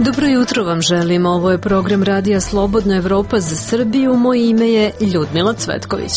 Dobro jutro vam želim, ovo je program Radija Slobodna Evropa za Srbiju, moje ime je Ljudmila Cvetković.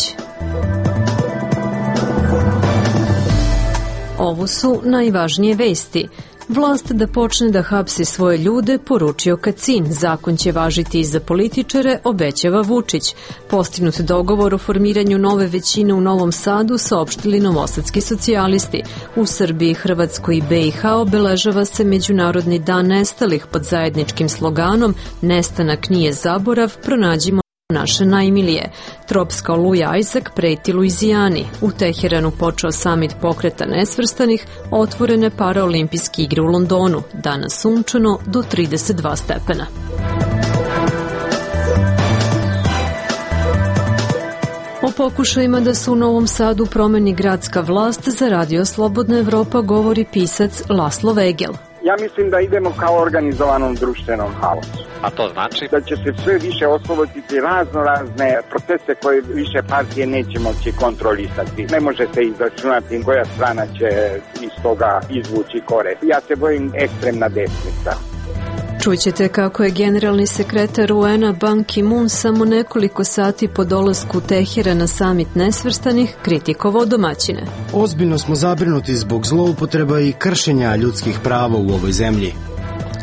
Ovo su najvažnije vesti. Vlast da počne da hapsi svoje ljude, poručio Kacin. Zakon će važiti i za političare, obećava Vučić. Postignut dogovor o formiranju nove većine u Novom Sadu saopštili novosadski socijalisti. U Srbiji, Hrvatskoj i BiH obeležava se Međunarodni dan nestalih pod zajedničkim sloganom "Nestanak nije zaborav, pronađimo naše najmilije". Tropska oluja Isaac preti Luizijani. U Teheranu počeo samit pokreta nesvrstanih, otvorene paraolimpijske igre u Londonu. Danas sunčano do 32 stepena. O pokušajima da se u Novom Sadu promeni gradska vlast za Radio Slobodna Evropa govori pisac Laslo Vegel. Ja mislim da idemo kao organizovanom društvenom haosu. A to znači? Da će se sve više osloboditi razne procese koje više partije neće moći kontrolisati. Ne može se izračunati koja strana će iz toga izvući korist. Ja se bojim ekstremna desnica. Čućete kako je generalni sekretar UN-a Ban Ki-moon samo nekoliko sati po dolasku Tehera na samit nesvrstanih kritikovao domaćine. Ozbiljno smo zabrinuti zbog zloupotreba i kršenja ljudskih prava u ovoj zemlji.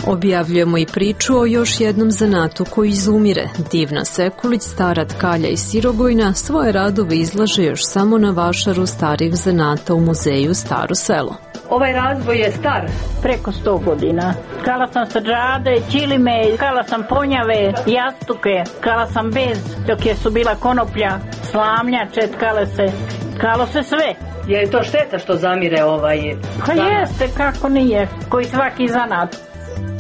Objavljujemo i priču o još jednom zanatu koji izumire. Divna Sekulić, stara tkalja iz Sirogojna, svoje radove izlaže još samo na vašaru starih zanata u muzeju Staro selo. Ovaj razvoj je star preko 100 godina. Kala sam sađade, čilime, kala sam ponjave, jastuke, kala sam bez, dok je su bila konoplja, slamnjače, kalo se sve. Je to šteta što zamire ovaj Pa jeste, kako nije, koji svaki zanat.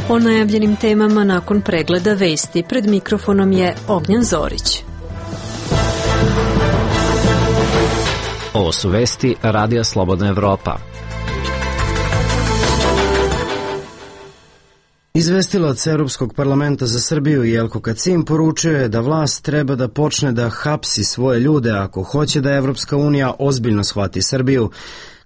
O najavljenim temama nakon pregleda vesti pred mikrofonom je Ognjen Zorić. Ovo su vesti Radija Slobodna Evropa. Izvestilac Europskog parlamenta za Srbiju Jelko Kacin poručio je da vlast treba da počne da hapsi svoje ljude ako hoće da Evropska unija ozbiljno shvati Srbiju.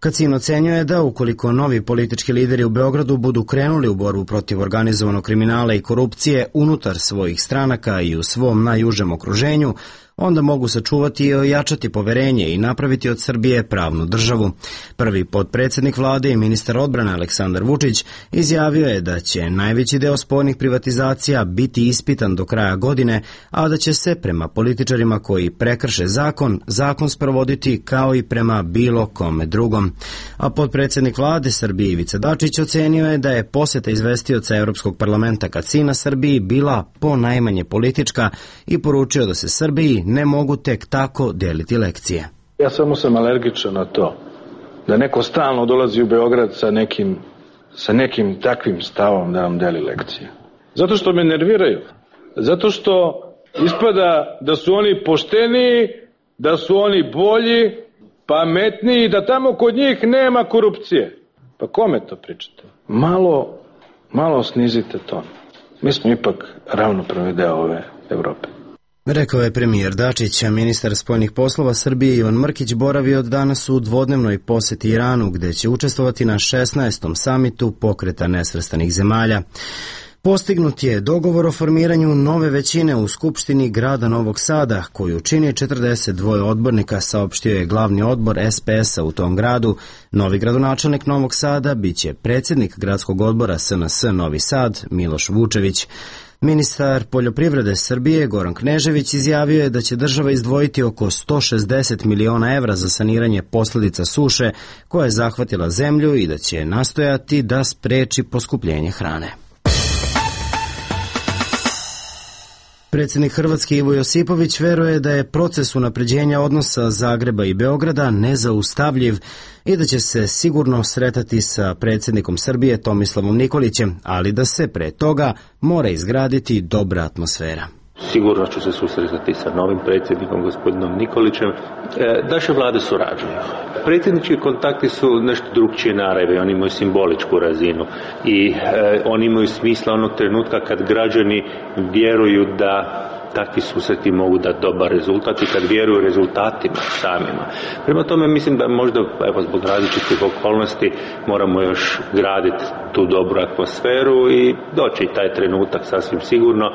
Kacin ocenjuje da ukoliko novi politički lideri u Beogradu budu krenuli u borbu protiv organizovanog kriminala i korupcije unutar svojih stranaka i u svom najužem okruženju, onda mogu sačuvati i ojačati poverenje i napraviti od Srbije pravnu državu. Prvi potpredsjednik vlade i ministar odbrane Aleksandar Vučić izjavio je da će najveći deo spornih privatizacija biti ispitan do kraja godine, a da će se prema političarima koji prekrše zakon sprovoditi kao i prema bilo kome drugom. A potpredsjednik vlade Srbije Ivica Dačić ocenio je da je poseta izvestioca Europskog parlamenta Kacina Srbiji bila ponajmanje politička i poručio da se Srbiji ne mogu tek tako deliti lekcije. Ja samo sam alergičan na to da neko stalno dolazi u Beograd sa nekim takvim stavom da nam deli lekcije. Zato što me nerviraju. Zato što ispada da su oni pošteniji, da su oni bolji, pametniji, da tamo kod njih nema korupcije. Pa kome to pričate? Malo snizite ton. Mi smo ipak ravnopravni deo ove Evrope. Rekao je premijer Dačić, a ministar spoljnih poslova Srbije Ivan Mrkić boravi od danas u dvodnevnoj poseti Iranu, gde će učestvovati na 16. samitu pokreta nesvrstanih zemalja. Postignut je dogovor o formiranju nove većine u Skupštini grada Novog Sada, koju čini 42 odbornika, saopštio je glavni odbor SPS-a u tom gradu. Novi gradonačelnik Novog Sada biće predsjednik gradskog odbora SNS Novi Sad, Miloš Vučević. Ministar poljoprivrede Srbije Goran Knežević izjavio je da će država izdvojiti oko 160 miliona evra za saniranje posljedica suše koja je zahvatila zemlju i da će nastojati da spreči poskupljenje hrane. Predsjednik Hrvatske Ivo Josipović veruje da je proces unapređenja odnosa Zagreba i Beograda nezaustavljiv i da će se sigurno sretati sa predsjednikom Srbije Tomislavom Nikolićem, ali da se pre toga mora izgraditi dobra atmosfera. Sigurno ću se susretati sa novim predsjednikom, gospodinom Nikolićem. Naše vlade surađuju. Predsjednički kontakti su nešto drugčije narave, oni imaju simboličku razinu i oni imaju smisla onog trenutka kad građani vjeruju da takvi susreti mogu dati dobar rezultat i kad vjeruju rezultatima samima. Prema tome mislim da možda zbog različitih okolnosti moramo još graditi tu dobru atmosferu i doći taj trenutak sasvim sigurno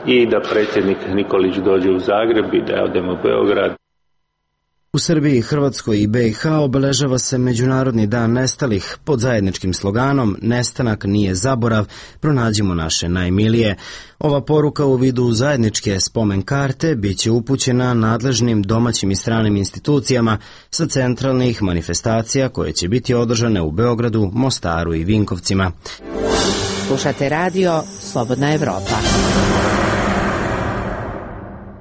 i da predsjednik Nikolić dođe u Zagreb i da odemo u Beograd. U Srbiji, Hrvatskoj i BiH obeležava se Međunarodni dan nestalih pod zajedničkim sloganom "Nestanak nije zaborav, pronađimo naše najmilije". Ova poruka u vidu zajedničke spomen karte biće upućena nadležnim domaćim i stranim institucijama sa centralnih manifestacija koje će biti održane u Beogradu, Mostaru i Vinkovcima. Slušate radio Slobodna Evropa.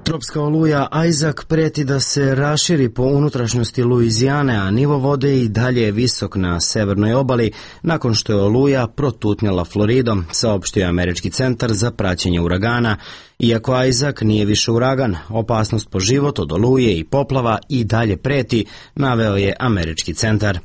Tropska oluja Isaac preti da se raširi po unutrašnjosti Luizijane, a nivo vode i dalje je visok na severnoj obali nakon što je oluja protutnjala Floridom, saopštio je Američki centar za praćenje uragana. Iako Isaac nije više uragan, opasnost po život od oluje i poplava i dalje preti, naveo je Američki centar.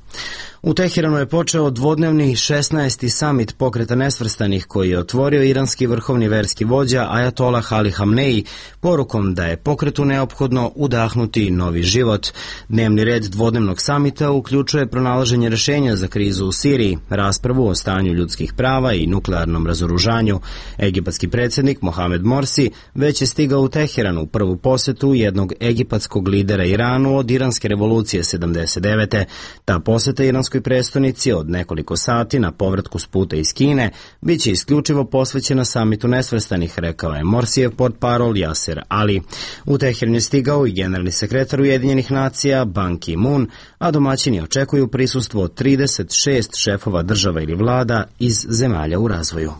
U Teheranu je počeo dvodnevni 16. samit Pokreta nesvrstanih koji je otvorio iranski vrhovni verski vođa Ajatolah Ali Hamneji porukom da je pokretu neophodno udahnuti novi život. Dnevni red dvodnevnog samita uključuje pronalaženje rešenja za krizu u Siriji, raspravu o stanju ljudskih prava i nuklearnom razoružanju. Egipatski predsjednik Mohamed Morsi već je stigao u Teheranu u prvu posetu jednog egipatskog lidera Iranu od iranske revolucije 79. Ta poseta iranskoj prestonici od nekoliko sati na povratku s puta iz Kine biće isključivo posvećena samitu nesvrstanih, rekao je Morsijev portparol Jaser Ali. U Teheran je stigao i generalni sekretar Ujedinjenih nacija Ban Ki-moon, a domaćini očekuju prisustvo od 36 šefova država ili vlada iz zemalja u razvoju.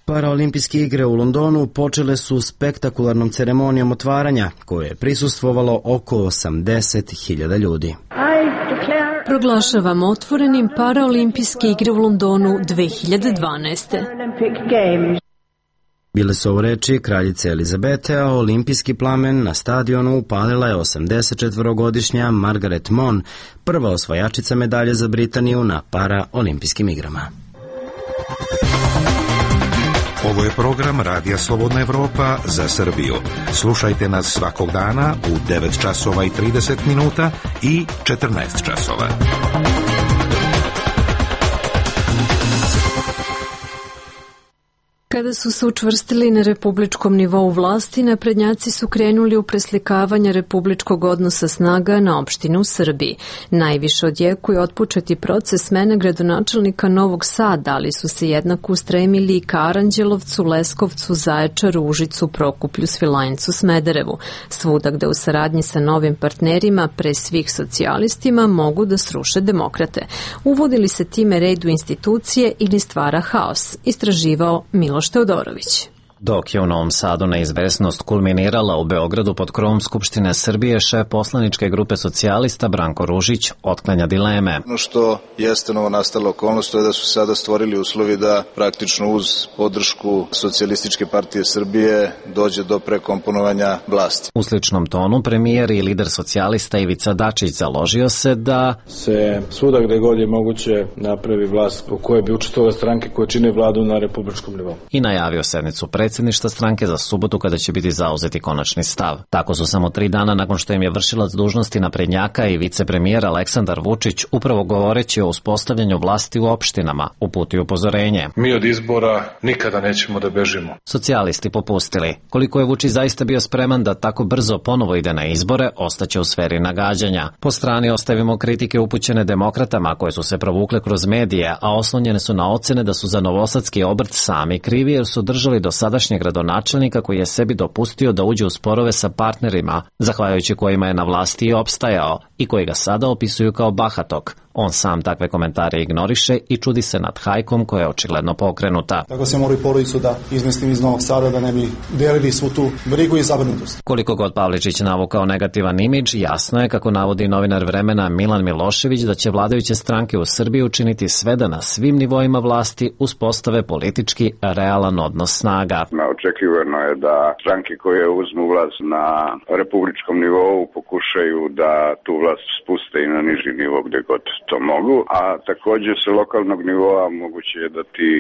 Paraolimpijske igre u Londonu počele su spektakularnom ceremonijom otvaranja, koje je prisustvovalo oko 80.000 ljudi. Proglašavamo otvorenim Paraolimpijske igre u Londonu 2012. Bile su ovo reči kraljice Elizabete, a olimpijski plamen na stadionu upalila je 84-godišnja Margaret Mon, prva osvajačica medalje za Britaniju na Paraolimpijskim igrama. Ovo je program Radija Slobodna Evropa za Srbiju. Slušajte nas svakog dana u 9 časova i 30 minuta i 14 časova. Kada su se učvrstili na republičkom nivou vlasti, naprednjaci su krenuli u preslikavanje republičkog odnosa snaga na opštine u Srbiji. Najviše odjekuje otpočeti proces smene gradonačelnika Novog Sada, ali su se jednako ustremili i ka Aranđelovcu, Leskovcu, Zaječaru, Užicu, Prokuplju, Svilajncu, Smederevu. Svuda gde u saradnji sa novim partnerima, pre svih socijalistima, mogu da sruše demokrate. Uvodili se time red u institucije ili stvara haos, istraživao Miloš Teodorović. Dok je u Novom Sadu neizvesnost kulminirala, u Beogradu pod krovom Skupštine Srbije šef poslaničke grupe socijalista Branko Ružić otklanja dileme. Ono što jeste novonastala okolnost to je da su sada stvorili uslovi da praktično uz podršku Socijalističke partije Srbije dođe do prekomponovanja vlasti. U sličnom tonu premijer i lider socijalista Ivica Dačić založio se da se svuda gde god je moguće napravi vlast u kojoj bi učestvovale stranke koje čine vladu na republičkom nivou. I najavio sednicu predsjedništva stranke za subotu kada će biti zauzeti konačni stav. Tako su samo 3 dana nakon što im je vršilac dužnosti naprednjaka i vicepremijer Aleksandar Vučić, upravo govoreći o uspostavljanju vlasti u opštinama, uputio upozorenje. Mi od izbora nikada nećemo da bežimo. Socijalisti popustili. Koliko je Vučić zaista bio spreman da tako brzo ponovo ide na izbore, ostaće u sferi nagađanja. Po strani ostavimo kritike upućene demokratama koje su se provukle kroz medije, a oslonjene su na ocene da su za novosadski obrt sami krivi jer su držali do sadašnjeg gradonačelnika koji je sebi dopustio da uđe u sporove sa partnerima, zahvaljujući kojima je na vlasti i opstajao i koji ga sada opisuju kao bahatog. On sam takve komentare ignoriše i čudi se nad hajkom koja je očigledno pokrenuta. Tako se mora i porodicu da izmestim iz Novog Sada da ne bi delili svu tu brigu i zabrinutost. Koliko god Pavličić navukao negativan imidž, jasno je, kako navodi novinar Vremena Milan Milošević, da će vladajuće stranke u Srbiji učiniti sve da na svim nivoima vlasti uspostave politički realan odnos snaga. Očekivano je da stranke koje uzmu vlast na republičkom nivou pokušaju da tu vlast spuste i na niži nivo gde god to mogu, a takođe sa lokalnog nivoa moguće je da ti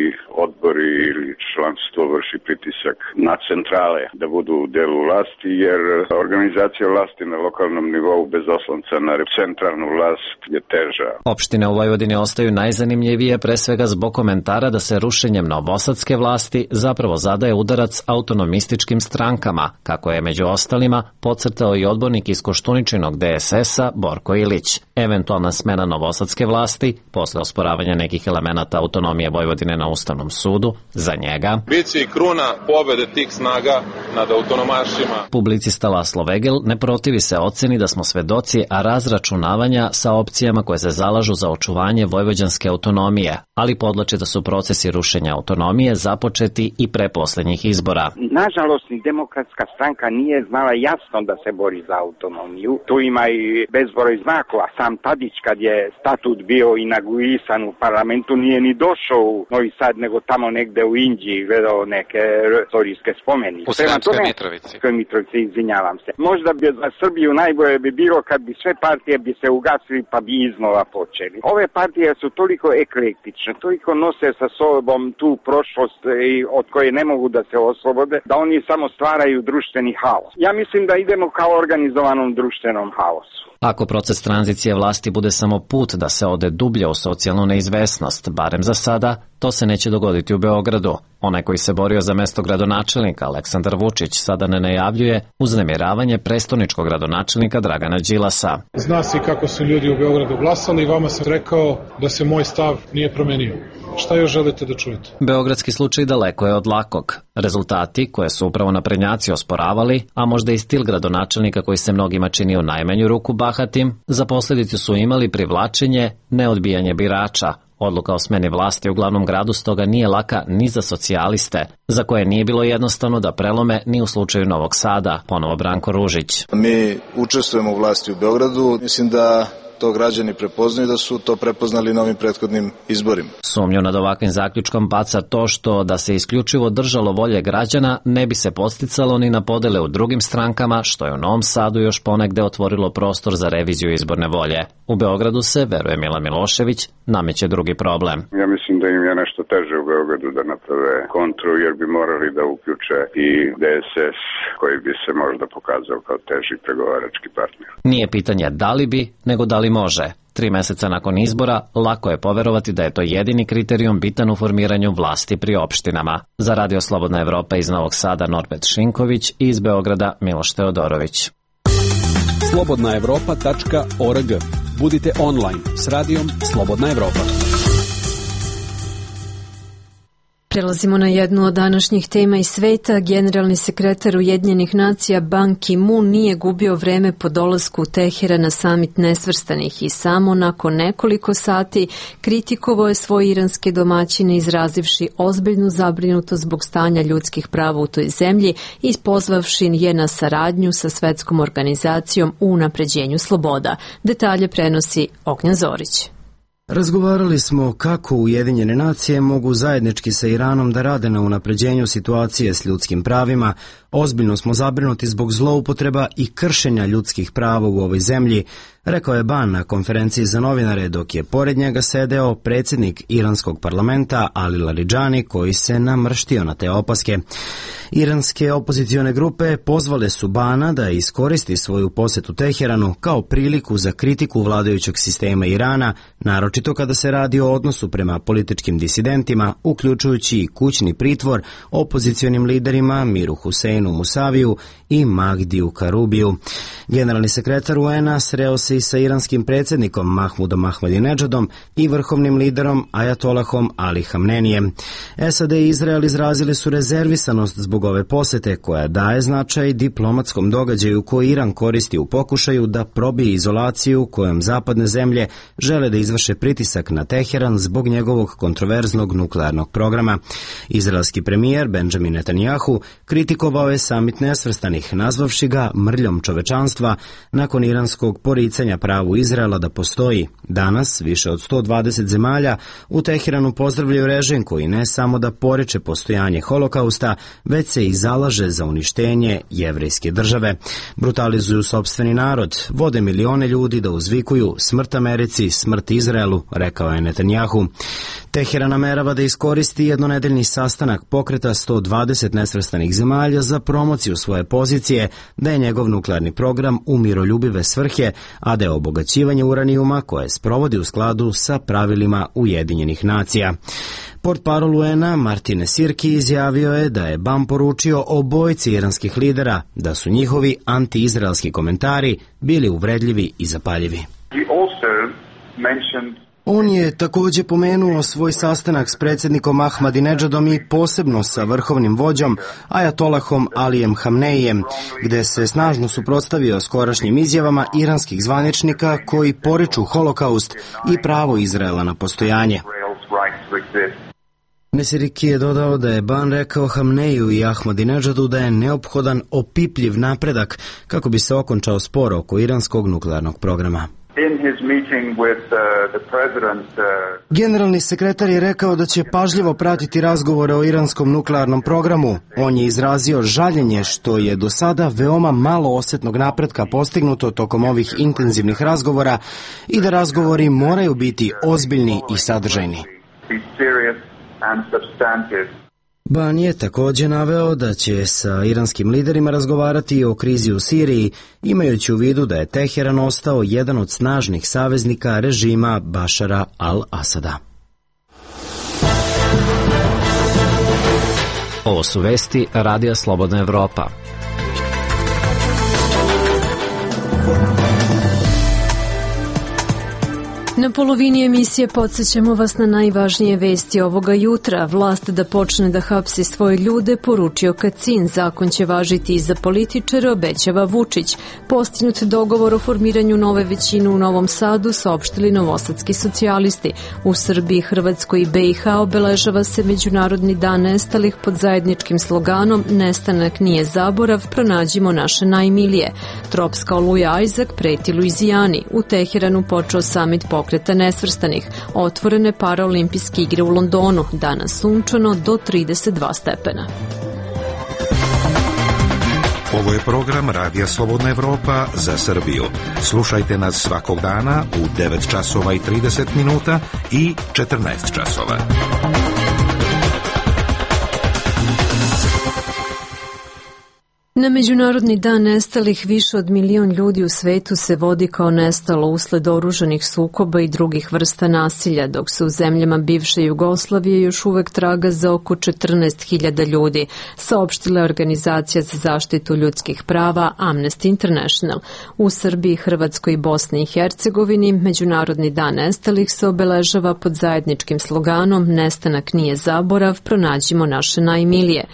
odbori ili članstvo vrši pritisak na centrale da budu u delu vlasti, jer organizacija vlasti na lokalnom nivou bez oslonca na centralnu vlast je teža. Opštine u Vojvodini ostaju najzanimljivije pre svega zbog komentara da se rušenjem novosadske vlasti zapravo zadaje udarac autonomističkim strankama, kako je među ostalima podcrtao i odbornik iz Koštuničinog DSS-a Borko Ilić. Eventualna smena novosadske vlasti, posle osporavanja nekih elemenata autonomije Vojvodine na Ustavnom sudu, za njega biće i kruna pobede tih snaga nad autonomašima. Publicista Laslo Vegel ne protivi se oceni da smo svedoci razračunavanja sa opcijama koje se zalažu za očuvanje vojvođanske autonomije, ali podlači da su procesi rušenja autonomije započeti i pre poslednjih izbora. Nažalost, ni Demokratska stranka nije znala jasno da se bori za autonomiju. Tu ima i bezbroj znakova. Sam Tadić, kad je statut bio inauguisan u parlamentu, nije ni došao u Novi Sad, nego tamo negde u Inđiji gledao neke istorijske spomenike. U Sremskoj Mitrovici. Mitrovici, izvinjavam se. Možda bi za Srbiju najbolje bi bilo kad bi sve partije bi se ugasili pa bi iznova počeli. Ove partije su toliko eklektične, toliko nose sa sobom tu prošlost od koje ne mogu da se oslobode, da oni samo stvaraju društveni haos. Ja mislim da idemo kao organizovanom društvenom haosu. Ako proces tranzicije vlasti bude samo put da se ode dublje u socijalnu neizvesnost, barem za sada, to se neće dogoditi u Beogradu. Onaj koji se borio za mesto gradonačelnika, Aleksandar Vučić, sada ne najavljuje uznemiravanje prestoničkog gradonačelnika Dragana Đilasa. Zna se kako su ljudi u Beogradu glasali i vama sam rekao da se moj stav nije promenio. Šta još želite da čujete? Beogradski slučaj daleko je od lakog. Rezultati koje su upravo naprednjaci osporavali, a možda i stil gradonačelnika koji se mnogima čini u najmanju ruku bahatim, za posledicu su imali privlačenje, neodbijanje birača. Odluka o smeni vlasti u glavnom gradu stoga nije laka ni za socijaliste, za koje nije bilo jednostavno da prelome ni u slučaju Novog Sada, ponovo Branko Ružić. Mi učestvujemo u vlasti u Beogradu, mislim da to građani prepoznaju, da su to prepoznali na ovim prethodnim izborima. Sumnju nad ovakvim zaključkom baca to što da se isključivo držalo volje građana ne bi se podsticalo ni na podele u drugim strankama, što je u Novom Sadu još ponegde otvorilo prostor za reviziju izborne volje. U Beogradu se, veruje Mila Milošević, nameće drugi problem. Ja mislim da im je nešto teže u Beogradu da naprave kontru, jer bi morali da uključe i DSS, koji bi se možda pokazao kao teži pregovarački partner. Nije pitanje da li bi, nego da li može. 3 meseca nakon izbora, lako je poverovati da je to jedini kriterijum bitan u formiranju vlasti pri opštinama. Za Radio Slobodna Evropa iz Novog Sada Norbert Šinković i iz Beograda Miloš Teodorović. slobodnaevropa.org. Budite online s radijom Slobodna Evropa. Prelazimo na jednu od današnjih tema iz sveta. Generalni sekretar Ujedinjenih nacija Ban Ki-moon nije gubio vreme po dolasku u Teheran na samit nesvrstanih i samo nakon nekoliko sati kritikovao je svoje iranske domaćine izrazivši ozbiljnu zabrinutost zbog stanja ljudskih prava u toj zemlji i pozvavši je na saradnju sa svetskom organizacijom u unapređenju sloboda. Detalje prenosi Ognjen Zorić. Razgovarali smo kako Ujedinjene nacije mogu zajednički sa Iranom da rade na unapređenju situacije s ljudskim pravima. Ozbiljno smo zabrinuti zbog zloupotreba i kršenja ljudskih prava u ovoj zemlji, rekao je Ban na konferenciji za novinare, dok je pored njega sedeo predsjednik iranskog parlamenta Ali Laridžani, koji se namrštio na te opaske. Iranske opozicione grupe pozvale su Bana da iskoristi svoju posetu Teheranu kao priliku za kritiku vladajućeg sistema Irana, naročito kada se radi o odnosu prema političkim disidentima, uključujući i kućni pritvor opozicionim liderima Miru Huseinu Musaviju i Mahdiju Karubiju. Generalni sekretar UN-a sreo se i sa iranskim predsjednikom Mahmudom Ahmadinedžadom i vrhovnim liderom Ajatolahom Ali Hamnenijem. SAD i Izrael izrazili su rezervisanost zbog ove posete, koja daje značaj diplomatskom događaju koji Iran koristi u pokušaju da probije izolaciju kojom zapadne zemlje žele da izvrše pritisak na Teheran zbog njegovog kontroverznog nuklearnog programa. Izraelski premijer Benjamin Netanjahu kritikovao je samit nesvrstanih, nazvavši ga mrljom čovečanstva nakon iranskog poricanja pitanja pravu Izraela da postoji. Danas, više od 120 zemalja u Teheranu pozdravljaju režim koji ne samo da poriče postojanje holokausta, već se i zalaže za uništenje jevrejske države. Brutalizuju sopstveni narod, vode milione ljudi da uzvikuju smrt Americi, smrt Izraelu, rekao je Netanjahu. Teheran namerava da iskoristi jednonedeljni sastanak pokreta 120 nesvrstanih zemalja za promociju svoje pozicije, da je njegov nuklearni program u miroljubive svrhe, a da je obogaćivanje uranijuma koje sprovodi u skladu sa pravilima Ujedinjenih nacija. Portparol UN-a Martin Sirki izjavio je da je BAM poručio obojici iranskih lidera da su njihovi anti-izraelski komentari bili uvredljivi i zapaljivi. On je takođe pomenuo svoj sastanak s predsjednikom Ahmadinedžadom i posebno sa vrhovnim vođom Ajatolahom Alijem Hamneijem, gde se snažno suprotstavio skorašnjim izjavama iranskih zvaničnika koji poriču holokaust i pravo Izraela na postojanje. Mesiriki je dodao da je Ban rekao Hamneiju i Ahmadinedžadu da je neophodan opipljiv napredak kako bi se okončao spor oko iranskog nuklearnog programa. Generalni sekretar je rekao da će pažljivo pratiti razgovore o iranskom nuklearnom programu. On je izrazio žaljenje što je do sada veoma malo osetnog napretka postignuto tokom ovih intenzivnih razgovora i da razgovori moraju biti ozbiljni i sadržajni. Ban je takođe naveo da će sa iranskim liderima razgovarati o krizi u Siriji, imajući u vidu da je Teheran ostao jedan od snažnih saveznika režima Bašara al-Asada. Ovo su vesti Radija Slobodna Evropa. Na polovini emisije podsjećamo vas na najvažnije vesti ovoga jutra. Vlast da počne da hapsi svoje ljude, poručio Kacin. Zakon će važiti i za političare, obećava Vučić. Postignut dogovor o formiranju nove većine u Novom Sadu, saopštili novosadski socijalisti. U Srbiji, Hrvatskoj i BiH obeležava se Međunarodni dan nestalih pod zajedničkim sloganom "Nestanak nije zaborav, pronađimo naše najmilije". Tropska oluja Isaac preti Luizijani. U Teheranu počeo samit pokreta nesvrstanih. Otvorene paraolimpijske igre u Londonu. Danas sunčano do 32 stepena. Ovo je program Radija Slobodna Evropa za Srbiju. Slušajte nas svakog dana u 9 časova i 30 minuta i 14 časova. Na Međunarodni dan nestalih više od 1 milion ljudi u svetu se vodi kao nestalo usled oružanih sukoba i drugih vrsta nasilja, dok se u zemljama bivše Jugoslavije još uvek traga za oko 14.000 ljudi, saopštila je Organizacija za zaštitu ljudskih prava Amnesty International. U Srbiji, Hrvatskoj i Bosni i Hercegovini Međunarodni dan nestalih se obeležava pod zajedničkim sloganom "Nestanak nije zaborav, pronađimo naše najmilije".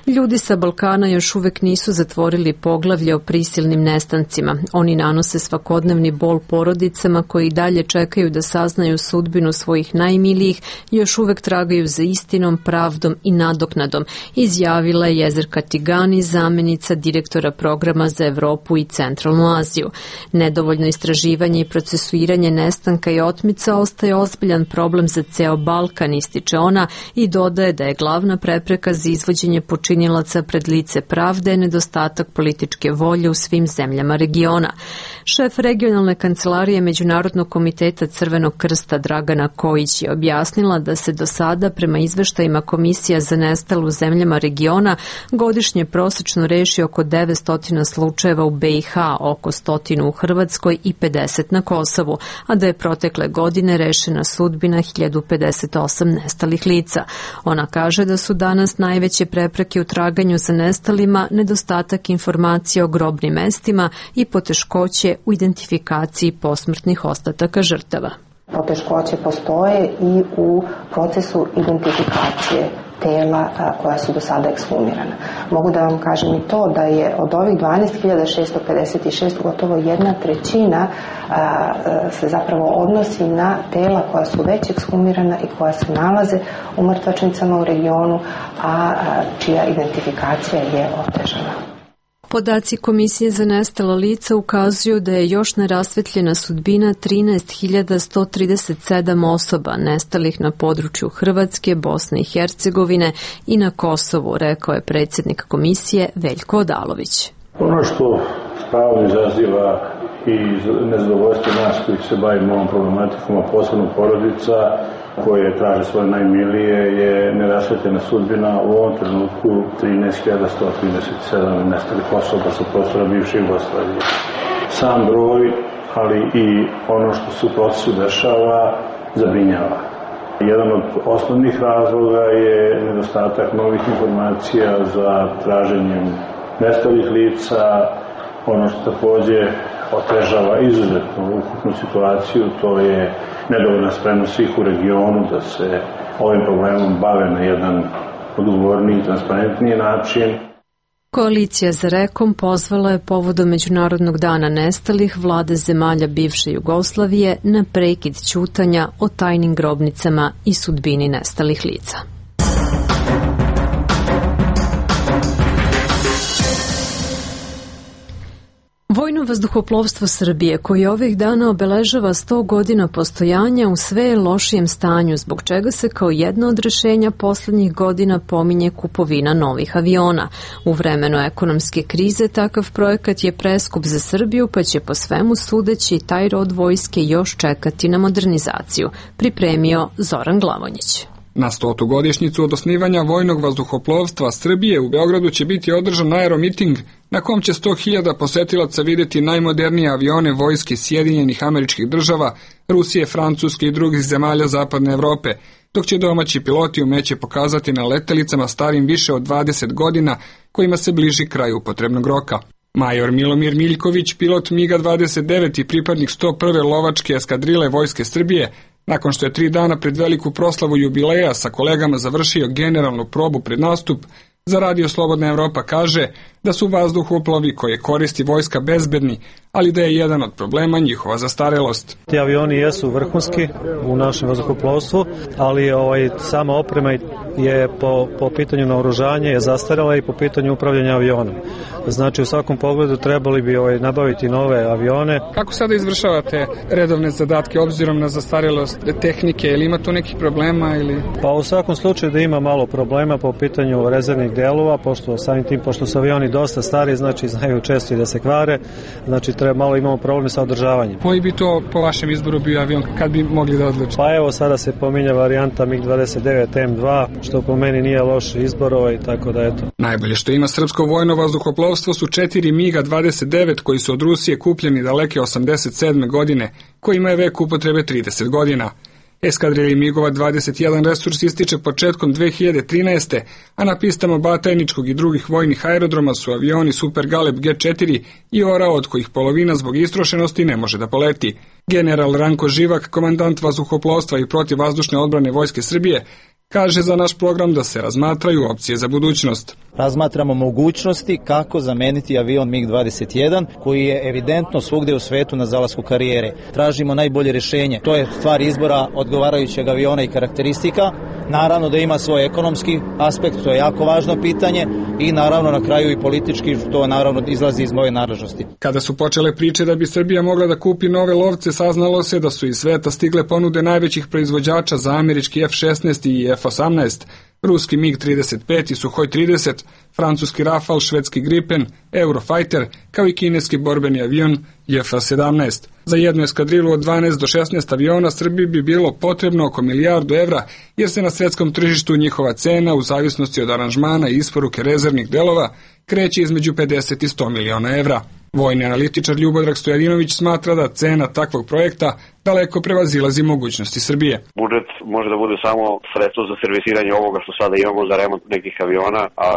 Ljudi sa Balkana još uvek nisu zatvorili poglavlje o prisilnim nestancima. Oni nanose svakodnevni bol porodicama koji dalje čekaju da saznaju sudbinu svojih najmilijih i još uvek tragaju za istinom, pravdom i nadoknadom, izjavila je Jezerka Tigani, zamenica direktora programa za Evropu i Centralnu Aziju. Nedovoljno istraživanje i procesuiranje nestanka i otmica ostaje ozbiljan problem za ceo Balkan, ističe ona, i dodaje da je glavna prepreka za izvođenje počinilaca pred lice pravde nedostatak političke volje u svim zemljama regiona. Šef regionalne kancelarije Međunarodnog komiteta Crvenog krsta Dragana Kojić je objasnila da se do sada prema izveštajima Komisija za nestalu u zemljama regiona godišnje prosečno reši oko 900 slučajeva u BiH, oko 100 u Hrvatskoj i 50 na Kosovu, a da je protekle godine rešena sudbina 1058 nestalih lica. Ona kaže da su danas najveće prepreke u traganju za nestalima nedostatak informacija o grobnim mestima i poteškoće u identifikaciji posmrtnih ostataka žrtava. Poteškoće postoje i u procesu identifikacije tela koja su do sada ekshumirana. Mogu da vam kažem i to da je od ovih 12.656 gotovo 1/3 se zapravo odnosi na tela koja su već ekshumirana i koja se nalaze u mrtvačnicama u regionu, a čija identifikacija je otežana. Podaci Komisije za nestala lica ukazuju da je još nerasvetljena sudbina 13.137 osoba nestalih na području Hrvatske, Bosne i Hercegovine i na Kosovu, rekao je predsjednik komisije Veljko Odalović. Ono što pravo izaziva i nezadovoljstvo nas koji se bavimo ovom problematikom, a posebno porodica koje traže svoje najmilije, je nerasvetljena sudbina u ovom trenutku 13.137 nestalih osoba sa prostora bivše Jugoslavije. Sam broj, ali i ono što se u procesu dešava, zabrinjava. Jedan od osnovnih razloga je nedostatak novih informacija za traženjem nestalih lica. Ono što takođe otežava izuzetno ukupnu situaciju, to je nedovoljna spremnost svih u regionu da se ovim problemom bave na jedan odgovorniji i transparentniji način. Koalicija za Rekom pozvala je povodom Međunarodnog dana nestalih vlade zemalja bivše Jugoslavije na prekid ćutanja o tajnim grobnicama i sudbini nestalih lica. Vojno vazduhoplovstvo Srbije, koji ovih dana obeležava 100 godina postojanja, u sve je lošijem stanju, zbog čega se kao jedno od rešenja poslednjih godina pominje kupovina novih aviona. U vremenu ekonomske krize takav projekat je preskup za Srbiju, pa će po svemu sudeći taj rod vojske još čekati na modernizaciju, pripremio Zoran Glavonjić. Na 100. godišnjicu od osnivanja Vojnog vazduhoplovstva Srbije u Beogradu će biti održan aeromiting na kom će 100.000 posetilaca videti najmodernije avione vojske Sjedinjenih Američkih Država, Rusije, Francuske i drugih zemalja Zapadne Evrope, dok će domaći piloti umeće pokazati na letelicama starim više od 20 godina kojima se bliži kraj upotrebnog roka. Major Milomir Miljković, pilot MiG-29 i pripadnik 101. lovačke eskadrile Vojske Srbije, nakon što je 3 dana pred veliku proslavu jubileja sa kolegama završio generalnu probu pred nastup, za Radio Slobodna Evropa kaže da su vazduhoplovi koje koristi vojska bezbedni, ali da je jedan od problema njihova zastarelost. Ti avioni jesu vrhunski u našem vazduhoplovstvu, ali sama oprema je po pitanju naoružanja je zastarela i po pitanju upravljanja avionom. Znači u svakom pogledu trebali bi nabaviti nove avione. Kako sada izvršavate redovne zadatke obzirom na zastarelost tehnike, ili ima tu nekih problema? Pa u svakom slučaju da ima malo problema po pitanju rezervnih delova, pošto su avioni dosta stari, znači znaju često i da se kvare, znači malo imamo probleme sa održavanjem. Koji bi to po vašem izboru bio avion, kad bi mogli da odlučite? Pa evo sada se pominja varijanta MiG-29 M2, što po meni nije loš izbor, tako da eto. Najbolje što ima srpsko vojno vazduhoplovstvo su 4 MiG-29 koji su od Rusije kupljeni daleke 87. godine, kojima je vek upotrebe 30 godina. Eskadrili MiG-ova 21 resurs ističe početkom 2013. a na pistama Batajničkog i drugih vojnih aerodroma su avioni Super Galeb G4 i Orao, od kojih polovina zbog istrošenosti ne može da poleti. General Ranko Živak, komandant vazduhoplovstva i protivvazdušne odbrane Vojske Srbije, kaže za naš program da se razmatraju opcije za budućnost. Razmatramo mogućnosti kako zameniti avion MiG-21 koji je evidentno svugde u svetu na zalasku karijere. Tražimo najbolje rješenje. To je stvar izbora odgovarajućeg aviona i karakteristika. Naravno da ima svoj ekonomski aspekt, to je jako važno pitanje, i naravno na kraju i politički, to naravno izlazi iz moje nadležnosti. Kada su počele priče da bi Srbija mogla da kupi nove lovce, saznalo se da su iz sveta stigle ponude najvećih proizvođača za američki F-16 i F-18, ruski MiG-35 i Suhoj 30, francuski Rafale, švedski Gripen, Eurofighter, kao i kineski borbeni avion J-17. Za jednu eskadrilu od 12 do 16 aviona Srbiji bi bilo potrebno oko milijardu evra, jer se na svetskom tržištu njihova cena, u zavisnosti od aranžmana i isporuke rezervnih delova, kreće između 50 i 100 miliona evra. Vojni analitičar Ljubodrag Stojadinović smatra da cena takvog projekta daleko prevazilazi mogućnosti Srbije. Budžet može da bude samo sredstvo za servisiranje ovoga što sada imamo za remont nekih aviona, a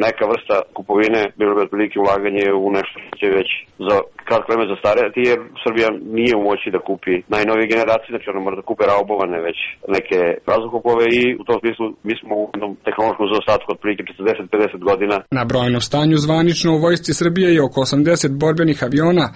neka vrsta kupovine bilo bi otprilike ulaganje u nešto što će već za kratko vreme zastarjeti, jer Srbija nije u moći da kupi najnovije generacije, znači ona mora da kupe raubovane već neke vazduhoplove, i u tom smislu mi smo u jednom tehnološkom zaostatku otprilike 40-50 godina. Na brojnom stanju zvanično u vojsci Srbije je oko 80 borbenih aviona,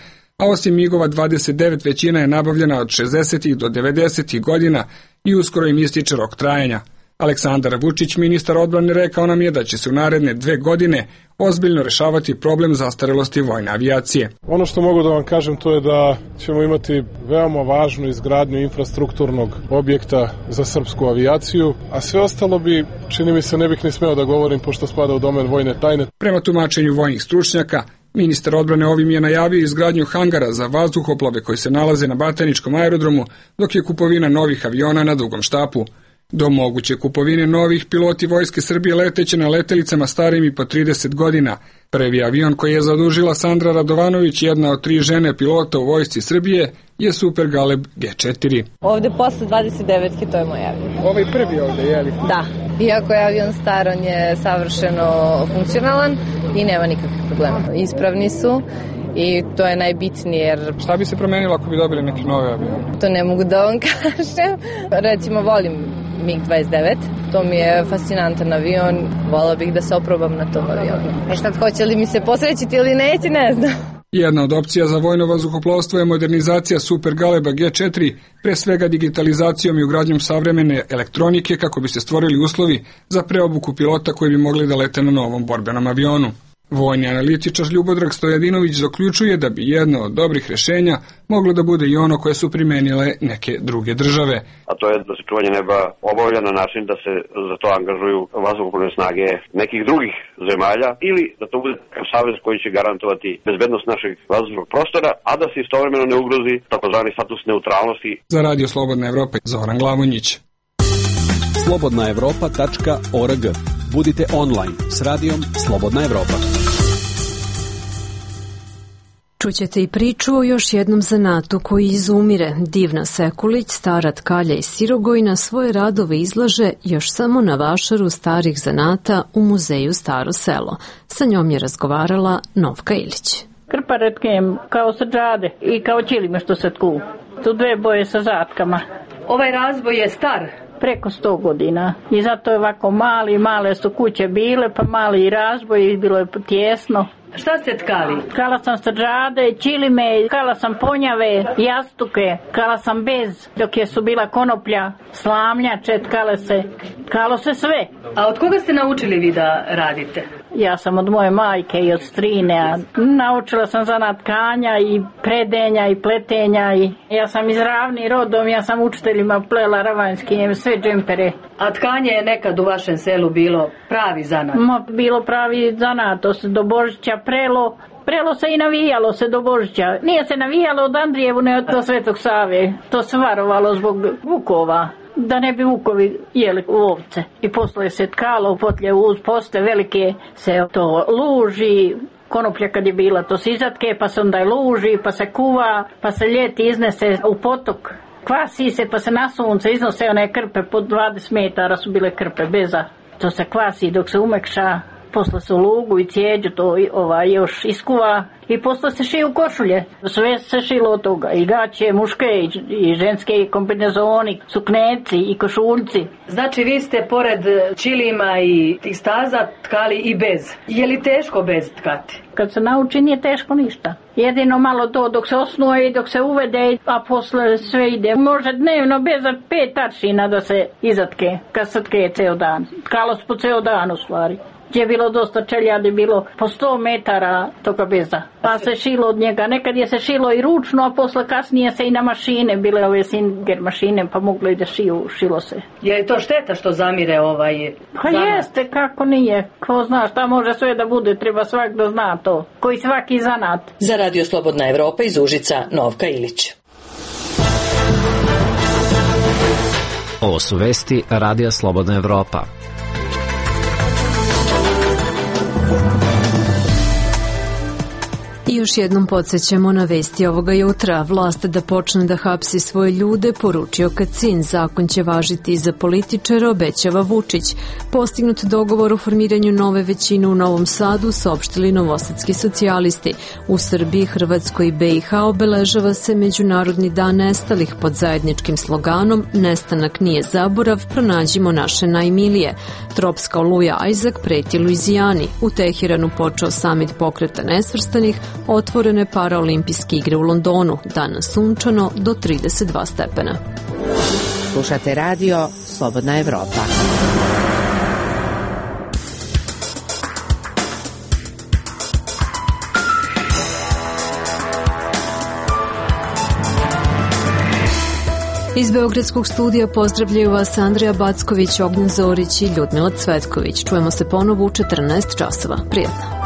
a osim MiG-ova 29 većina je nabavljena od 60. do 90. godina i uskoro im ističe rok trajanja. Aleksandar Vučić, ministar odbrane, rekao nam je da će se u naredne 2 godine ozbiljno rešavati problem zastarelosti vojne avijacije. Ono što mogu da vam kažem to je da ćemo imati veoma važnu izgradnju infrastrukturnog objekta za srpsku avijaciju, a sve ostalo bi, čini mi se, ne bih ni smeo da govorim pošto spada u domen vojne tajne. Prema tumačenju vojnih stručnjaka, ministar odbrane ovim je najavio izgradnju hangara za vazduhoplove koji se nalaze na Batajničkom aerodromu, dok je kupovina novih aviona na Dugom štapu. Do moguće kupovine novih piloti Vojske Srbije leteće na letelicama starim i po 30 godina. Prvi avion koji je zadužila Sandra Radovanović, jedna od 3 žene pilota u Vojsci Srbije, je Super Galeb G4. Ovde posle 29. to je moj avion. Ovaj prvi ovde, je li? Da. Iako je avion star, on je savršeno funkcionalan i nema nikakvih problema. Ispravni su. I to je najbitnije jer... Šta bi se promenilo ako bi dobili neki nove avion? To ne mogu da vam kažem. Recimo, volim MiG-29. To mi je fascinantan avion. Volao bih da se oprobam na tom avionu. Šta hoće li mi se posrećiti ili neće, ne znam. Jedna od opcija za vojno vazduhoplovstvo je modernizacija Super Galeba G4, pre svega digitalizacijom i ugradnjom savremene elektronike kako bi se stvorili uslovi za preobuku pilota koji bi mogli da lete na novom borbenom avionu. Vojni analitičar Ljubodrag Stojadinović zaključuje da bi jedno od dobrih rešenja moglo da bude i ono koje su primenile neke druge države. A to je da se čuvanje neba obavlja na način da se za to angažuju vazduhoplovne snage nekih drugih zemalja ili da to bude savez koji će garantovati bezbednost našeg vazdušnog prostora, a da se istovremeno ne ugrozi takozvani status neutralnosti. Za Radio Slobodna Evropa, Zoran Glavonjić. slobodnaevropa.org. Budite online s radijom Slobodna Evropa. Čućete i priču o još jednom zanatu koji izumire. Divna Sekulić, stara tkalja iz Sirogojna, svoje radove izlaže još samo na vašaru starih zanata u muzeju Staro selo. Sa njom je razgovarala Novka Ilić. Krparetkem kao sađade i kao ćilime što se tku. Tu 2 boje sa zatkama. Ovaj razboj je star? Preko 100 godina. I zato je ovako male su kuće bile, pa mali razboj i bilo je tjesno. Šta ste tkali? Tkala sam sađade, ćilime, tkala sam ponjave, jastuke, tkala sam bez, dok je su bila konoplja, slamljače, tkalo se sve. A od koga ste naučili vi da radite? Ja sam od moje majke i od strine. Naučila sam zanat tkanja i predenja i pletenja. Ja sam iz Ravni rodom, ja sam učiteljima plela ravanjski, sve džempere. A tkanje je nekad u vašem selu bilo pravi zanat? Bilo pravi zanat, to se do Božića prelo se i navijalo se do Božića. Nije se navijalo od Andrijevu, ne do Svetog Save. To se varovalo zbog vukova, da ne bi vukovi jeli ovce. I posle se tkalo, potlje uz poste velike se to luži, konoplja kad je bila to se izatke, pa se onda luži, pa se kuva, pa se ljeti iznese u potok. Kvasi se, pa se na sunce iznose one krpe, po 20 metara su bile krpe beza. To se kvasi dok se umekša, posle se u lugu i cijeđu to još iskuva i posle se šiju košulje. Sve se šilo od toga, i gaće, muške i ženske kombinezoni, sukneci i košuljci. Znači vi ste pored ćilima i tih staza tkali i bez. Je li teško bez tkati? Kad se nauči nije teško ništa. Jedino malo to dok se osnuje i dok se uvede, a posle sve ide. Može dnevno bez 5 aršina da se izatke, kad se tke ceo dan. Tkalo se po ceo dan u stvari. Gdje je bilo dosta čeljadi, bilo po 100 metara toga beza. Pa se šilo od njega. Nekad je se šilo i ručno, a posle kasnije se i na mašine, bile ove Singer mašine, pa moglo i da šilo se. Je li to šteta što zamire Pa jeste, kako nije. Ko zna šta može sve da bude, treba svak da zna to. Koji svaki zanat. Za Radio Slobodna Evropa iz Užica, Novka Ilić. Ovo su vesti Radija Slobodna Evropa. I još jednom podsjećamo na vesti ovoga jutra. Vlast da počne da hapsi svoje ljude, poručio Kacin. Zakon će važiti i za političare, obećava Vučić. Postignut dogovor o formiranju nove većine u Novom Sadu, saopštili novosadski socijalisti. U Srbiji, Hrvatskoj i BiH obeležava se Međunarodni dan nestalih pod zajedničkim sloganom "Nestanak nije zaborav, pronađimo naše najmilije". Tropska oluja Ajzak preti Luizijani. U Tehiranu počeo samit pokreta nesvrstanih, otvorene paraolimpijske igre u Londonu, danas sunčano do 32 stepena. Slušate radio Slobodna Evropa. Iz Beogradskog studija pozdravljaju vas Andrija Backović, Ognjen Zorić i Ljudmila Cvetković. Čujemo se ponovo u 14 časova. Prijatno.